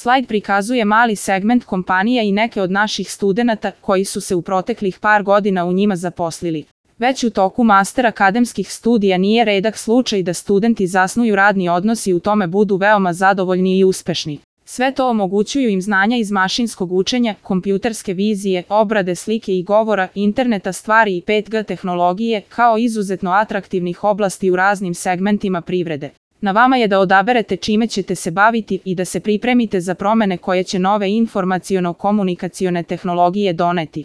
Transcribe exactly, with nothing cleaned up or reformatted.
Slajd prikazuje mali segment kompanija i neke od naših studenata koji su se u proteklih par godina u njima zaposlili. Već u toku master akademskih studija nije redak slučaj da studenti zasnuju radni odnos i u tome budu veoma zadovoljni i uspešni. Sve to omogućuju im znanja iz mašinskog učenja, kompjuterske vizije, obrade slike i govora, interneta stvari i pet G tehnologije, kao izuzetno atraktivnih oblasti u raznim segmentima privrede. Na vama je da odaberete čime ćete se baviti i da se pripremite za promene koje će nove informaciono-komunikacione tehnologije doneti.